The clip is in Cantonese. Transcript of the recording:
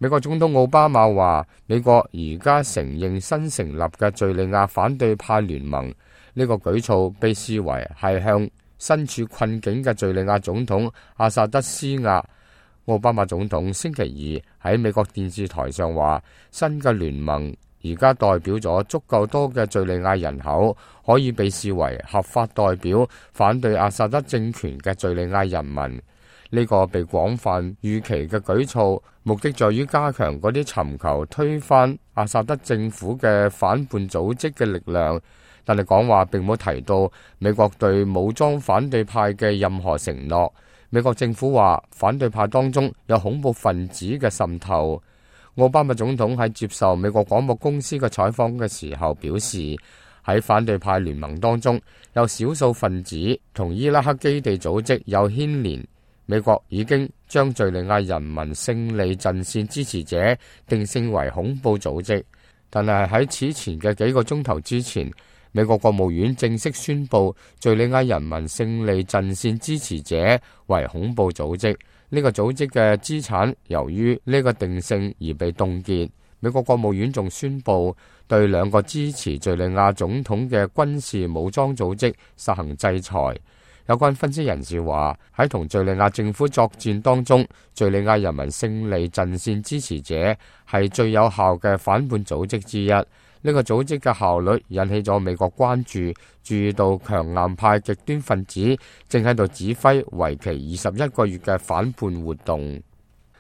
美國總統奧巴馬話，美國而家承認新成立嘅敘利亞反對派聯盟，呢個舉措被視為係向身處困境嘅敘利亞總統阿薩德施壓。奧巴馬總統星期二喺美國電視台上話，新嘅聯盟而家代表咗足夠多嘅敘利亞人口，可以被視為合法代表反對阿薩德政權嘅敘利亞人民。呢個被廣泛預期嘅舉措，目的在於加強嗰啲尋求推翻阿薩德政府嘅反叛組織嘅力量。但係講話並冇提到美國對武裝反對派嘅任何承諾。美國政府話反對派當中有恐怖分子嘅滲透。奧巴馬總統喺接受美國廣播公司嘅採訪嘅時候表示，喺反對派聯盟當中有少數分子同伊拉克基地組織有牽連。美國已經將敘利亞人民勝利陣線支持者定性為恐怖組織，但係喺此前嘅幾個鐘頭之前，美國國務院正式宣布敘利亞人民勝利陣線支持者為恐怖組織。呢個組織嘅資產由於呢個定性而被凍結。美國國務院仲宣布對兩個支持敘利亞總統嘅軍事武裝組織實行制裁。有關分析人士話，喺同敘利亞政府作戰當中，敘利亞人民勝利陣線支持者係最有效嘅反叛組織之一。呢個組織嘅效率引起咗美國關注，注意到強硬派極端分子正喺度指揮為期21個月嘅反叛活動。